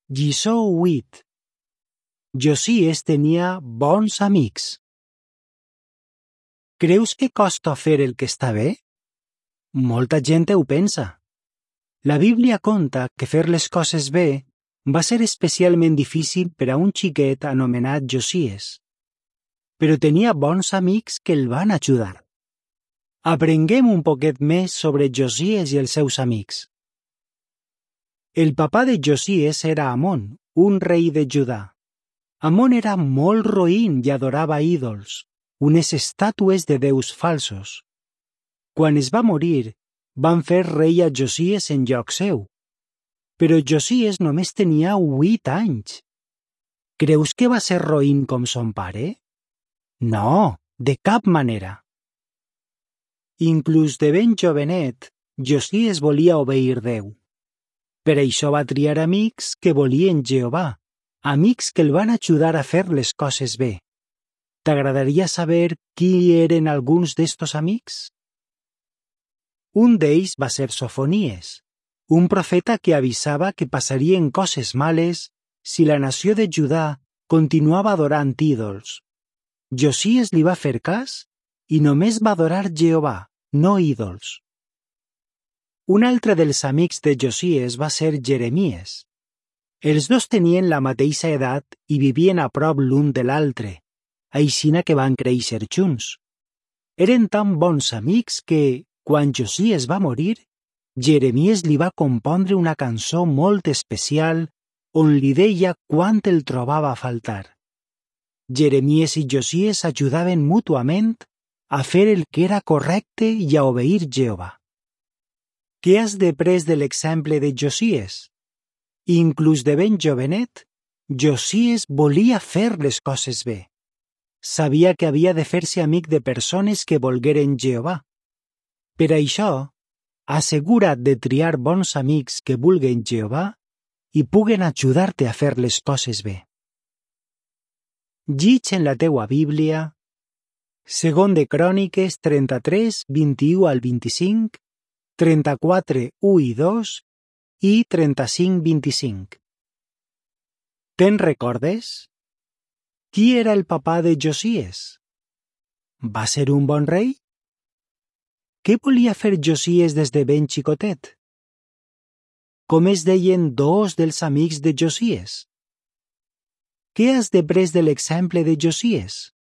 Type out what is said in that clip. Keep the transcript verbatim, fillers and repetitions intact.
Lliçó vuit. Josies tenia bons amics. Creus que costa fer el que està bé? Molta gent ho pensa. La Bíblia conta que fer les coses bé va ser especialment difícil per a un xiquet anomenat Josies. Però tenia bons amics que el van ajudar. Aprenguem un poquet més sobre Josies i els seus amics. El papà de Josies era Amon, un rei de Judà. Amon era molt roïn i adorava ídols, unes estàtues de déus falsos. Quan es va morir, van fer rei a Josies en lloc seu. Però Josies només tenia huit anys. Creus que va ser roïn com son pare? No, de cap manera. Inclús de ben jovenet, Josies volia obeir Déu. Per això va triar amics que volien Jehovà, amics que el van ajudar a fer les coses bé. T'agradaria saber qui eren alguns d'estos amics? Un d'ells va ser Sofonies, un profeta que avisava que passarien coses males si la nació de Judà continuava adorant ídols. Josies li va fer cas i només va adorar Jehovà, no ídols. Un altre dels amics de Josies va ser Jeremies. Els dos tenien la mateixa edat i vivien a prop l'un de l'altre, aixina que van créixer junts. Eren tan bons amics que, quan Josies va morir, Jeremies li va compondre una cançó molt especial on li deia quant el trobava a faltar. Jeremies i Josies ajudaven mútuament a fer el que era correcte i a obeir Jehovà. Què has després de l'exemple de Josies? Inclús de ben jovenet, Josies volia fer les coses bé. Sabia que havia de fer-se amic de persones que volgueren Jehovà. Per això, assegura't de triar bons amics que vulguen Jehovà i puguen ajudar-te a fer les coses bé. Llig en la teua Bíblia Segon de Cròniques trenta-tres, vint-i-u al vint-i-cinc, trenta-quatre, u i dos i trenta-cinc, vint-i-cinc. Te'n recordes? Qui era el papà de Josies? Va ser un bon rei? Què volia fer Josies des de ben xicotet? Com es deien dos dels amics de Josies? Què has després de l'exemple de Josies?